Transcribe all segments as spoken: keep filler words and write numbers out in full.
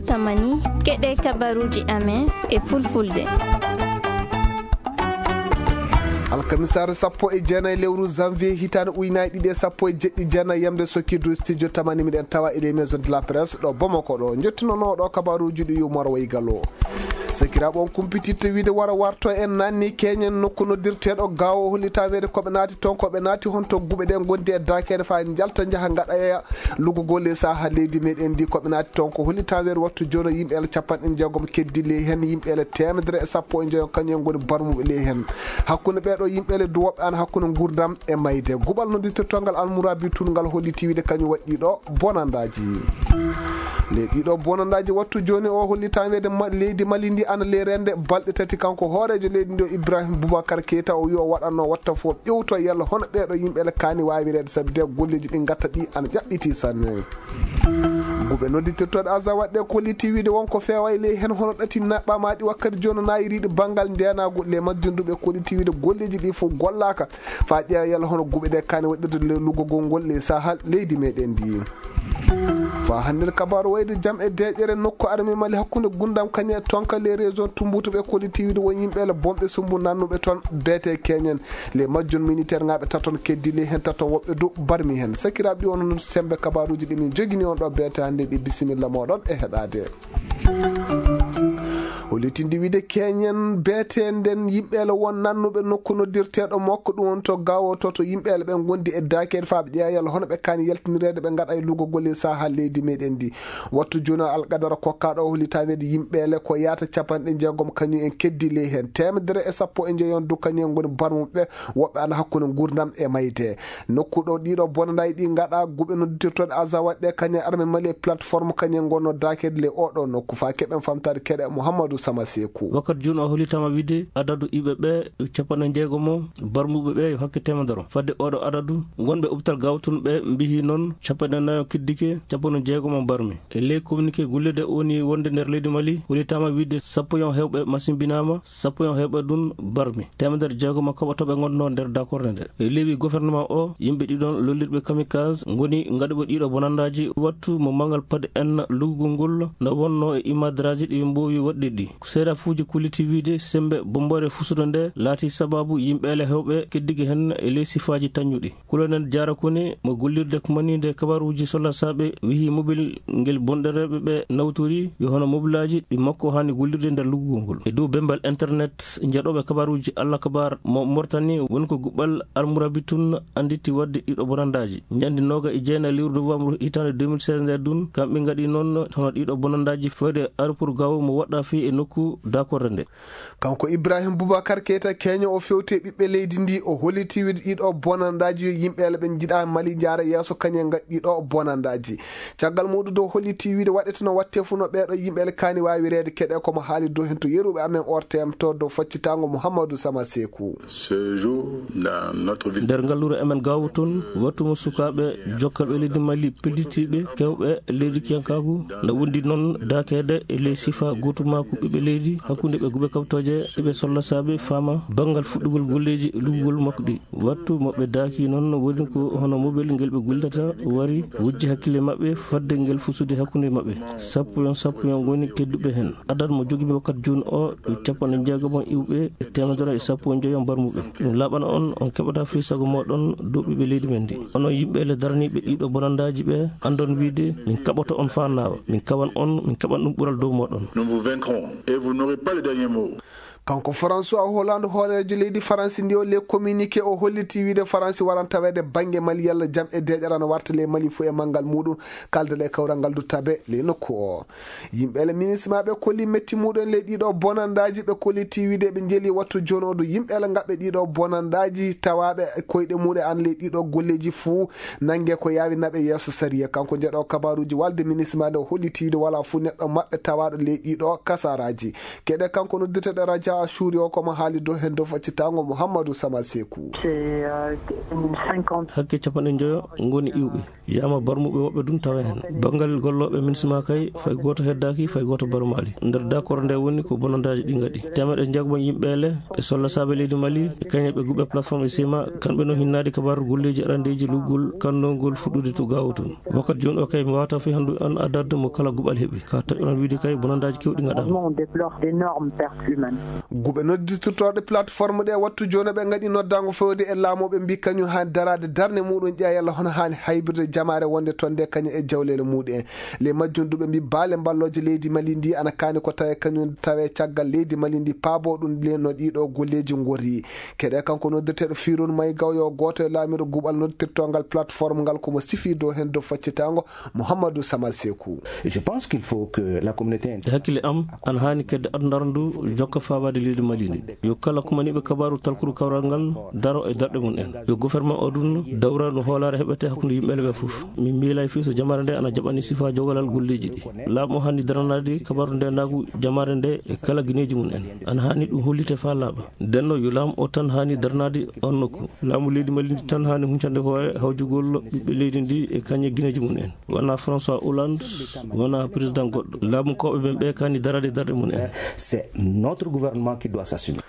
Tamani, keɗe kabaruuji amen e fulfulde. Alkamisaare sappo e jeenayi lewru janvier hitaande ujunaaji ɗiɗi e sappo e jeɗɗi, jeenayi yamde sokirdu studio tamani, miɗen tawa e les maisons de la presse ɗo Bamako ɗo. Njettunooɗo kabaruuji ɗi Umar Waygalo. Sakiraaɓe, on kumpititta wiide wara warto en nanni keñen nokku noddirteeɗo Gaawo, hollitaa weede ko ɓe naati toon, ko ɓe naati honto guɓe ɗe ngondi e daakeede faa njalta njaha ngaɗa lugugol e saha leydi meɗen ndi. Ko ɓe naati toon ko hollitaa weede wattu jooni yimɓe ele capanɗe jeegom keddi ley heen, yimɓe ele teemedere e sappo e njoyo kañum en ngoni barmuɓe ley heen. Hakkunde ɓee ɗoo yimɓe ele du woɓɓe ana hakkunde nguurndam e mayde. Guɓal noddirtortongal Almurabi Tun ngal hollitii wiide kañum waɗi ɗii ɗoo bonandaaji. Ley ɗii ɗoo bonandaaji wattu jooni o hollitaa weede ma-, leydi Mali ndi ana ley reende balɗe tati. Kanko hooreejo leydi ndi o Ibrahim Boubacar Keita o wi o waɗatno watta fof ƴewto yalla hono ɓee ɗoo yimɓe ele kaani waawi reede sabi de golleeji ɗi ngatta ɗi ana ƴaɓɓiti sanne. Guɓe nodditirtooɗe azawaɗ ɗe kollitii wiide wonko feewa e ley heen hono ɗati naɓɓa ma ɗi wakkati jooni naayiriiɗi banngal ndeenaagu. Ley majjum du ɓe kollitii wiide golleeji ɗi fof gollaaka. Faa ƴeewa yalla hono guɓe ɗe kaani waɗirde le lugugol ngol le saha leydi meɗen ndi. Faa hannde kabaaru wayde jam e deeƴere nokku arme Mali hakkunde gundam kañe tonka le région Tumbutu ɓe kollitii wiide won yimɓe le bomɓe sumbu nannuɓe toon beete keñen. Le majjum militaire ŋaaɓe taton keddi le heen taton woɓɓe du barmi heen. Sakiraaɓe ɗi on hono sembe kabaaruuji ɗi min jogini on ɗo beete hannde ɗi bisimilla mooɗon e heɗaade. O letindi wiide keñen beetenden yimɓeele won nannuɓe nokku noddirteeɗo makko ɗum woni to Gaawo to, to yimɓeele ɓen ngondi e daakeede faa ɓe ƴeewa yalla hono ɓe kaani yaltinireede ɓe ngaɗa e lugugol e saha leydi meɗen ndi. Wattu jooni alqadara kokkaɗo o holli taweede yimɓeele ko yaata capanɗe jeegom kañum en keddi ley heen teemedere e sappo e njeyon du kañum en ngoni barmuɓe woɓɓe ana hakkunde nguurndam e mayde. Nokku ɗo ɗiɗo bonandaaji ɗi ngaɗa guɓe noddirtooɗe Azawad ɗe kañum arme Mali e plateforme kañum ngonno daakeede ley oɗo nokku faa keɓen famtaade keɗe Mouhamadou Sama Seku. Wakkati jooni o hollitaama wiide adadu iɓe ɓe capanɗe jeegom o barmuɓe ɓe yo hakke teemedere. Fadde oɗo adadu wonɓe hôpital Gawtun ɓe mbiyi noon capanɗe nayo kiddike, capanɗe jeegom o barmi. E ley communiqué gollirde woni wonde nder leydi Mali, hollitaama wiide sappo yon hewɓe masimbinaama, sappo yon hewɓe ɗum barmi. Teemedere jeegom kaɓotooɓe ngonno nder dakorde nde. E leewi gouvernement o, yimɓe ɗiɗon lollirɓe kamikaze ngoni ngaɗuɓe ɗiɗo bonandaaji wattu mo mangal pade en lugugol ngol nde wonno e imadraaji ɗi ɓe mboowi waɗde ɗi. Seedafuuji kolliti wiide sembe bomboore fusude nde laati sababu yimɓeele hewɓe keddigi heen e ley sifaaji tañuɗi. Colonel Diarra Kone mo gollirde ko maniinde kabaruuji sollasaaɓe wiyi mobil ngel bonɗereeɓe ɓe nawtori yo hono mobilaaji ɗi makko haani gollirde nder luggugol ngol. E dow bemmbal internet njaɗooɓe kabaruuji Alla Kabar mo Mauritanie woni ko guɓɓal Almurabi tun annditi waɗde ɗiɗo bonandaaji. Ñande nooga e jeenayi lewru novembre hitaande deux mille seize nde dun kamɓe ngaɗi noon hono ɗiɗo bonandaaji fewde aéroport Gao mo woɗɗaa fii e nokku dakorde nde. Kanko Ibrahim Boubacar Keita keño o fewte ɓiɓɓe leydi ndi o holliti wiide ɗiɗo bonandaaji yo yimɓeele ɓe njiɗa Mali njaara yeeso kañum en ngaɗi ɗiɗo bonandaaji. Caggal muɗum dow holliti wiide waɗete no watte fuu no ɓeeɗo yimɓeele kaani waawi reede keɗe komo haali dow heen to yeruɓe amen O R T M to dow faccitaango Mouhamadou Sama Seku. Ce jour, dans notre ville. Nder ngalluure amen Gaawo tun, wattu mo sukaaɓe jokkalɓe leydi Mali pellitiiɓe kewɓe leydi kiyankaagu, na wondi noon daakeede e ley sifa gootumaaku ɓiɓɓe leydi, hakkunde ɓe guɓe kaɓtooje, ɓe sollasaaɓe faama banngal fuɗɗugol golleeji e lugugol makko ɗi. Wattu mo ɓe daaki noon woni ko hono mobel ngel ɓe gollata wari wujji hakkille maɓɓe fadde ngel fusude hakkunde maɓɓe. Sappo yon sappo yon ngoni kedduɓe heen. Adad mo jogimi wakkati jooni o, capanɗe jeegom iwɓe e teemedere e sappo e njoyo mbarmuɓe. Ɗum laaɓana on, on keɓata fii sago mooɗon dow ɓiɓɓe leydi men ndi. Onon yimɓe le daraniiɓe ɗiɗo bonandaaji ɓe, anndon wiide min kaɓoto on faa naawa. Min kawan on, min kaɓan ɗum ɓural dow mooɗon. Nous vous vaincrons et vous n'aurez pas le dernier mot. Kanko François Hollande, hooreejo leydi Faransi ndi, o le communiqué o holliti wiide Faransi waran taweede bannge Mali yalla jam e deeƴere ana warta ley Mali fuu e manngal muɗum, kaldal e kawral ngal du tabe ley nokku o. Yimɓe le minisma ɓe kolli metti muɗum ley ɗiɗo bonandaaji, ɓe kolliti wiide ɓe njeli wattu jooni o du yimɓe le ngaɓɓe ɗiɗo bonandaaji tawaaɓe koyɗe muɗum an ley ɗiɗo golleeji fuu nannge ko yaawi naɓe yeeso sariya. Kanko njeɗo kabaruuji walde minisma nde o holliti wiide walaa fuu neɗɗo maɓɓe tawaaɗo ley ɗiɗo kasaraaji. Keɗe kanko noddirteɗo radio A suuri o ko mo haali dow heen dow faccitaango Mouhamadou Sama Sekou. Hakke capanɗe njoyo ngoni iwɓe. Yama barmuɓe woɓɓe ɗum tawa heen. Banngal gollooɓe MINUSMA kay, fay gooto heddaaki, fay gooto barmaali. Nder d'accord nde woni ko bonondaaji ɗi ngaɗi. Teemeɗe njeegom yimɓe ele, ɓe solla saabe leydi Mali, e kañe ɓe guɓe plateforme e sima, kamɓe no hinnaade kabaaru golleeji arandeeji luggol kannongol fuɗɗude to gaawo toon. Wakkati jooni o kay, mi waawata fii hanndu on adadde mo kala guɓal heɓi. Ka taƴoran wiide kay, bonondaaji kewɗi ngaɗaama. On déplore d'énormes pertes humaines. Guɓe noddirtorɗe plateforme ɗe wattu jooni ɓe ngaɗi noddaango fewde e laamu ɓe mbi kañum haani daraade darnde muɗum ƴeewa yalla hono haani haybirde jamaare wonde toon nde kañum e jawleele muɗum en. Ley majjum du ɓe mbi baale mballooje leydi Mali ndi ana kaani ko tawe kañum tawe caggal leydi Mali ndi paabo ɗum le no ɗiɗo golleeji ngori. Keɗe kanko noddirteeɗo Firun May Gaw yo gooto e laamiiɗo guɓal noddirtongal plateforme ngal ko mo sifi dow heen dow faccitaango Mouhamadou Samal Sekou. Je pense qu'il faut que la communauté inter- E hakkille am, ana haani kedde aduna ndu jokka faabaade leydi Mali ndi. Yo kala kumaniiɓe kabaaru talkuru kawral ngal daro e darɗe mum en. Yo gouvernement o ɗum dawra no hoolaare heɓete hakkunde yimɓe ɓe fof. Min miilay fii so jamaare nde ana jaɓani sifa jogalal golleeji ɗi. Laamu o haani daranaade kabaaru nde naagu jamaare nde e kala gineeji mum en. Ana haani ɗum hollite faa laaɓa. Ndenno yo laamu o tan haani daranaade on nokku. Laamu leydi Mali ndi tan haani huncande hoore hawjugol ɓiɓɓe leydi ndi e kañe gineeji mum en. Wona François Hollande, wona président goɗɗo. Laamu kawɓe men ɓe kaani darade darɗe mum en. C'est notre gouvernement qui doit s'assumer.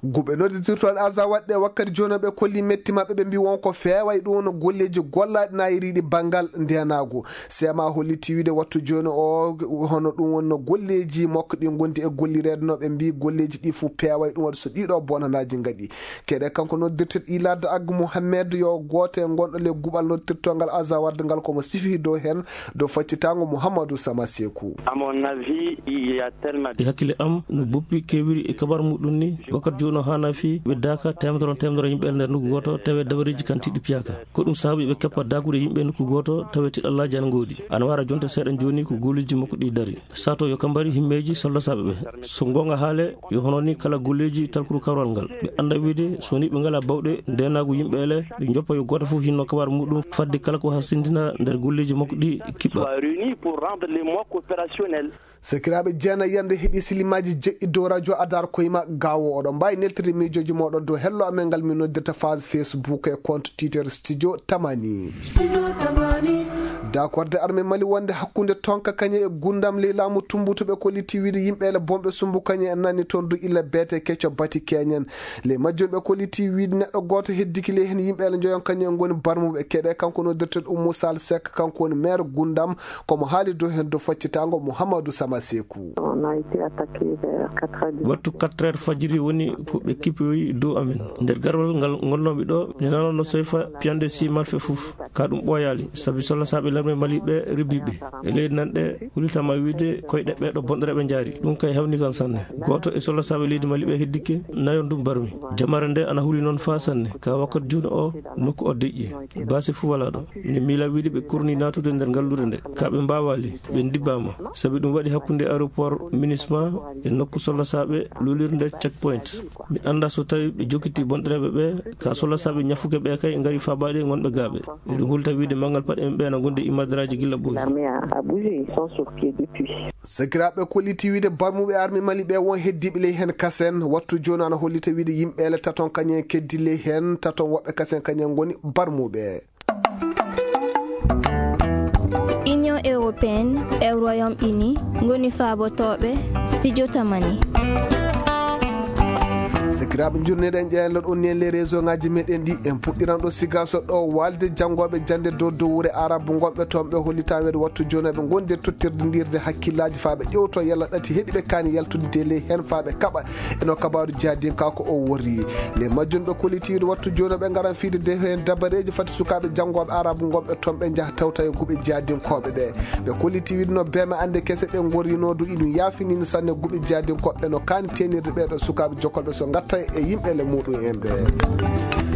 Guɓe nodditirtooɗe Azawad ɗe wakkati jooni ɓe kolli metti maɓɓe ɓe mbi won ko feeway ɗum no golleeji gollaaɗi na yiriiɗi banngal ndenaagu. Seema holliti wiide wattu jooni o hono ɗum wonno golleeji makko ɗi ngondi e gollireede no ɓe mbi golleeji ɗi fof peeway ɗum waɗi so ɗiɗo bonanaaji ngaɗi. Keɗe kanko noddirteɗo Ilad Ag Mohamed yo gooto e gonɗo le guɓal noddirtongal Azawad ngal komo sifi dow heen dow faccitaango Mouhamadou Sama Sekou. À mon avis, il y a tellement E hakkille am no boppi keewiri e kabar muɗum ni, wakkati jooni o haana fii ɓe daaka teemedere teemedere yimɓe e nder nokku gooto tawi dabareeji kan tiɗɗi piyaaka. Ko ɗum sababu ɓe keppa daagude yimɓe nokku gooto tawi tiɗallaaji ana ngoodi. Ana wara jonte seeɗa jooni ko golleeji makko ɗi dari. Sato yo kambari himmeeji sollasaaɓe ɓe. So goonga haale, yo hono ni kala golleeji talkuru kawral ngal. Ɓe annda wiide, so ni ɓe ngala bawɗe ndenaagu yimɓe ele, ɓe joppa yo gooto fof hinno kabar muɗum fadde kala ko hasindina nder golleeji makko ɗi kiɓɓa. Soit réunis pour rendre les mois opérationnels. Sakiraaɓe jeena yande heɓi silimaaji jeɗɗi dow radio Adar Koyma Gawo. Oɗon mbaawi neltirde miijooji mooɗon dow hello amen ngal min noddirta phase Facebook e compte Twitter Studio Tamani. Dakorde armée Mali wonde hakkunde tonka kañe e gundam ley laamu tumbutuɓe ko litti wiide yimɓe ele bomɓe sumbu kañe en nani toon du illa beete kecco bati keñen. Ley majjum ɓe ko litti wiide neɗɗo gooto heddiki ley heen yimɓe ele njoyon kañe en ngoni barmuɓe keɗe kanko noddirteɗo Oumou Sall Seck kanko woni maire gundam komo haali dow heen dow faccitaango Mouhamadou Sama Sekou. On a été attaqué vers quatre heures du Wattu quatre heures fajiri woni ko ɓe kippoyi dow amen. Nder garwal ngal ngonnoomi ɗo, mi nanano soyfa piyande si malfe fof. Ka ɗum ɓooyaali, sabi solla saaɓe larme Mali ɓe ribbiɓe. E leydi nan ɗe, hulitama wiide koyɗe ɓeeɗo bonɗereɓe njaari. Ɗum kay hewni kan sanne. Gooto e solla saaɓe leydi Mali ɓe heddike, nayon ɗum barmi. Jamaare nde ana huli noon faa sanne. Ka wakkati jooni o, nokku o deƴƴi. Baasi fuu walaa ɗo. Min miila wiide ɓe kurni naatude nder ngalluure nde. Ka ɓe mbaawaali, ɓe ndibbaama. Sabi ɗum waɗi hakkunde aéroport Minisma e nokku solla saaɓe lulirnde checkpoint. Mi annda so tawi ɓe jokkiti bonɗereɓe ɓe, ka solla saaɓe ñafuke ɓe kay ngari faabaade ngonɓe gaaɓe. Eɗum hulta wiide manngal paɗe en ɓe na ngondi e madaraaji gilla ɓooyi. L'armée a, a bougé, ils sont sur pied depuis. Sakiraaɓe kolliti wiide barmuɓe armée Mali ɓe won heddiiɓe ley heen kasen. Wattu jooni ana hollita wiide yimɓe ele taton kañen keddi ley heen, taton woɓɓe kasen kañen ngoni barmuɓe. Union européenne e Royaume-Uni ngoni faabotooɓe studio Tamani. Sakiraaɓe, njurneɗen ƴeewen ɗon ni e les réseau ngaji meɗen ɗi. En puɗɗiran ɗo Sigaso ɗo walde janngooɓe jannde dow dow wure Arabu ngonɓe toon, ɓe hollita weedo wattu jooni ɓe ngondi e tottirde ndirde hakkillaaji faa ɓe ƴewto yalla ɗati heɗi ɓe kaani yaltude de ley heen faa ɓe kaɓa e no kabaaru jihadin ka ko o worri. Nde majjum ɓe kolliti wiide wattu jooni ɓe ngaran fiide de heen dabareeji fati sukaaɓe janngooɓe Arabu ngonɓe toon ɓe njaha tawta e guɓe jihadinkooɓe ɓe. Ɓe kolliti wiide no beeme annde kese ɓe ngorrino du iɗum yaafinini sanne guɓe jihadinkooɓe ɓe no kaani teenirde ɓee ɗo sukaaɓe jokkolɓe so ngatta tawi e yimɓe le muɗum en ɓe.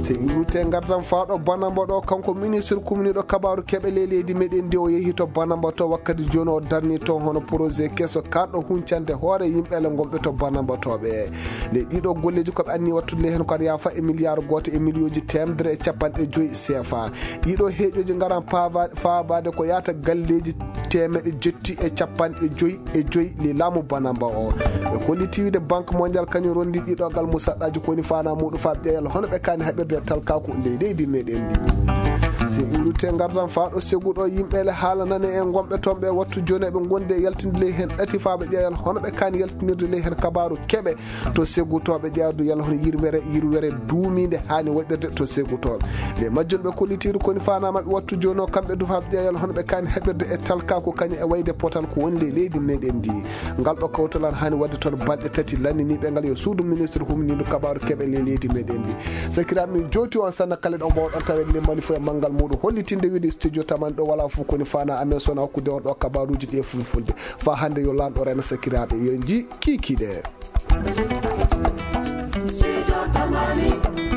So en iwrite ngardan faaɗo Banamba ɗo, kanko ministre kumniiɗo kabaaru keɓe ley leydi meɗen ndi, o yehi to Banamba to wakkati jooni, o darni toon hono projet keso karɗo huncande hoore yimɓe le gonɓe to Banamba to ɓe. Ley ɗiɗo golleeji ko ɓe anni wattude ley heen ko aɗa yaafa e miliyaaru gooto e miliyooji teemedere e capanɗe joyi C F A. Ɗiɗo heeƴooji ngaran paava-, faabaade ko yaata galleeji teemeɗe jetti e capanɗe joyi e joyi ley laamu Banamba o. Ɓe kolliti wiide Banque Mondiale kañum rondi ɗiɗo gal musaɗɗaaji ko woni faanaa muɗum faa ƴeewal hono ɓe kaani haɓirde e talkaaku ley leydi meɗen ndi. Si iwrite ngardan faa ɗo segu ɗo yimɓe le haala nane en gonɓe toon ɓe wattu jooni eɓe ngondi e yaltinde ley heen ɗati faa ɓe ƴeewal hono ɓe kaani yaltinirde ley heen kabaaru keɓe to segutooɓe ƴeewdu yalla hono yirwere, yirwere duumiinde haani waɗirde to segutooɓe. Nde majjum ɓe kollitiiru koni faanaa maɓɓe wattu jooni o kamɓe du faa ɓe ƴeewal hono ɓe kaani haɓirde e talkaaku kañum e wayde potal ko woni ley leydi meɗen ndi. Ngal ɗo kawtal an haani waɗde toon balɗe tati lanniniiɓe ngal yo suudu ministre humniidu kabaaru keɓe ley leydi meɗen ndi. Sakiraaɓe min jooti on sanna kala ɗo mbawɗon tawen ni mani fof e manngal muɗum hollitinde wiide studio taman ɗo wala fof koni faanaa amen sona hokkude on ɗo kabaaruuji ɗi e fulfulde. Faa hannde yo laamɗo rena sakiraaɓe yo nji kiikiiɗe. Sijo Tamani.